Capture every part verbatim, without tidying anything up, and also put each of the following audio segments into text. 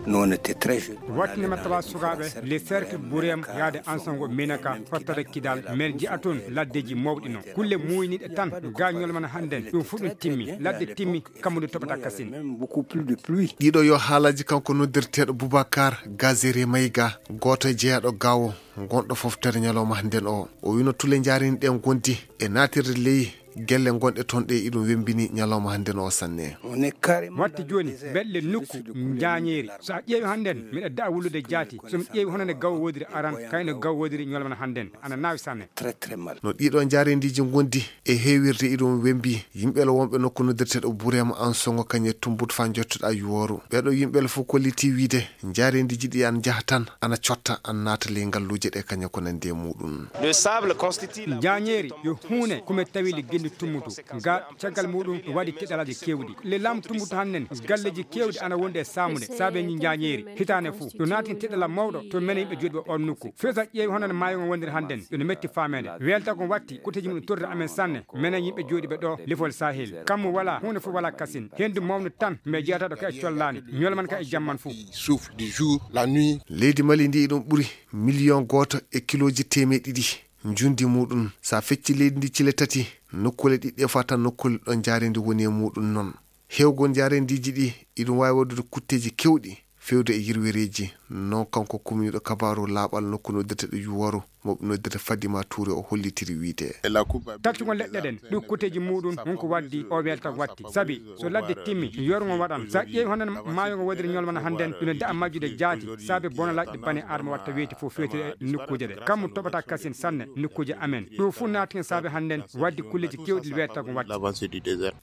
Wattinde martaba sukaaɓe le cercle Bourem yaade Ansango Menaka, hottata Kidal, men ji'a toon laddeeji mawɗi noon. Kulle muuyniiɗe tan, ga ñolmana hannden, ɗum fof ɗum timmi. Ladde timmi, kammude toɓata kasin. Ɗiɗo yo haalaaji kanko noddirteeɗo Boubacar Gazere Maïga, gooto e jeyaaɗo Gaawo, gonɗo foftere ñalawma hannden o. O wino tule njaareni ɗen gondi e naatirde ley gelle gonɗe toon ɗe iɗum wembini ñalawma hannden o sanne. Watti jooni, mbeɗle nokku njaañeeri. So a ƴeewi hannden, miɗa da'a wullude jaati. So mi ƴeewi hono nde gawo woodiri aran, kayno gawo woodiri ñolmana hannden. Ana naawi sanne. No ɗiɗo njaareendiiji ngondi e heewirde iɗum wembi, yimɓe wonɓe nokku noddirteeɗo Burema Ansongo kañe tumbut faa njottoɗa yuwooru. Ɓeeɗo yimɓe fof kolliti wiide, njaareendiiji ɗi an njaha tan, ana cotta, an naata ley ngalluuje ɗe kañe ko nandi e muɗum. Njaañeeri yo huune kome tawi le genndi tummutu. Ga caggal muɗum waɗi teɗalaaji keewɗi. Le laamu tummutu hannden, galleeji keewɗi ana wondi e saamude, saabe ni njaañeeri. Hitaande fof, ɗum naati teɗala mawɗo to menen yimɓe jooɗi ɓe on nokku. Fesa ƴeewi hono no maayo ngon wondiri hannden, ɗum no metti faameede. Weelta kon watti, kuteeji mum torri amen sanne, menen yimɓe jooɗi ɓe ɗo, lefol Sahel. Kammu wala, huunde fof wala kasin. Hendu mawnu tan, mais jeyata ɗo ka e collaani. Ñolman ka e jamman fof. Souffre du jour, la nuit. Leydi Mali ndi ɗum ɓuri miliyon gooto e kilooji teemeɗe ɗiɗi. Njundi muɗum, so a fecci leydi ndi cile tati, nokkuule ɗiɗɗe fof tan nokkuule ɗo njaareendi woni e muɗum noon. Heewgol njaareendiiji ɗi, iɗum waawi waɗude kutteeji keewɗi, feewde e yirwereeji. Noon kanko kumniiɗo kabaaru laaɓal nokku noddirteeɗo Yuwaru, mo ɓe noddirta Fadima Touré, o hollitiri wiide. Taccugol leɗɗe ɗen, ɗum kutteeji muɗum, won ko waddi o welta watti. Sabi, so ladde timmi, yorgo waɗan. Sa ƴeewi hono maayo ngo waɗiri ñolmana hannden, ina da'a majjude jaati, saabe bonalaaji ɗi bane Adama watta weeti fof feetiri e nokkuuje ɗe. Kammu toɓata kasin sanne, nokkuuje amen. Ɗum fof naati hen saabe hannden, waddi kulleeji keewɗi weeta ko watti.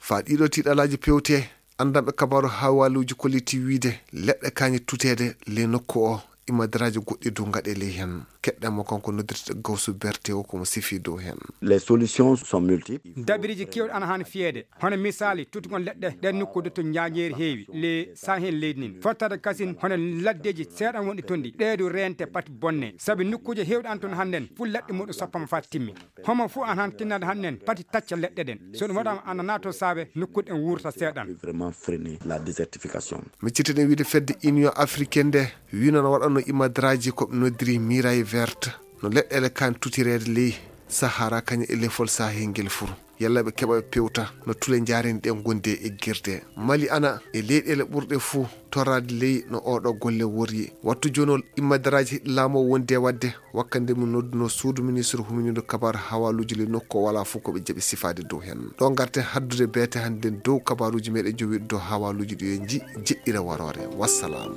Faa ɗiɗo tiiɗalaaji pewte, anndanɓe kabaaru haawaluuji kolliti wiide, leɗɗe kañe tuteede ley nokku o, imadaraaji goɗɗi dow ngaɗe ley hen. Keɗɗen mo kanko noddirte Gawsu Berte o, ko mo sifi dow hen. Les solutions sont multiples. Dabiriji keewɗi ana haani fiyeede. Hono misaali, tutugol leɗɗe ɗen nokkuuji to njaañeeri heewi, le Sahel leydi nin. Fottata kasin hono laddeeji seeɗan wonɗi toon ɗi. Ɗee du reente pati bonne. Sabi nokkuuje heewɗe an toon hannden, fof leɗɗe muɗum soppama faa timmi. Homo fof an han tinnade hannden, pati tacca leɗɗe ɗen. So ɗum waɗama ana naato saabe, nokkuuji ɗen wuurta seeɗan. Vraiment freiner la désertification. Miccitiɗen wiide fedde Union Africaine nde, wino no waɗanno imadaraaji ko ɓe noddiri Miraille Verte. No leɗɗele kan tutireede ley Sahara kañum e lefol Sahel ngel fur. Yalla ɓe keɓa ɓe pewta no tule njaareni ɗe gonde e girde. Mali ana e leyɗele ɓurɗe fuu toraade ley no oɗo golle worri. Wattu jonol immadaraaji laamu o wondi e waɗde wakkande mo nodduno suudu ministre huminiiɗo kabaaru hawaaluuji ley nokku o wala fof ko ɓe jaɓi sifaade dow hen. Ɗo ngarten haddude beete hannden dow kabaaruuji meɗen jowiɗo dow hawaaluuji ɗi en ji jeɗɗire waroore. Wassalam.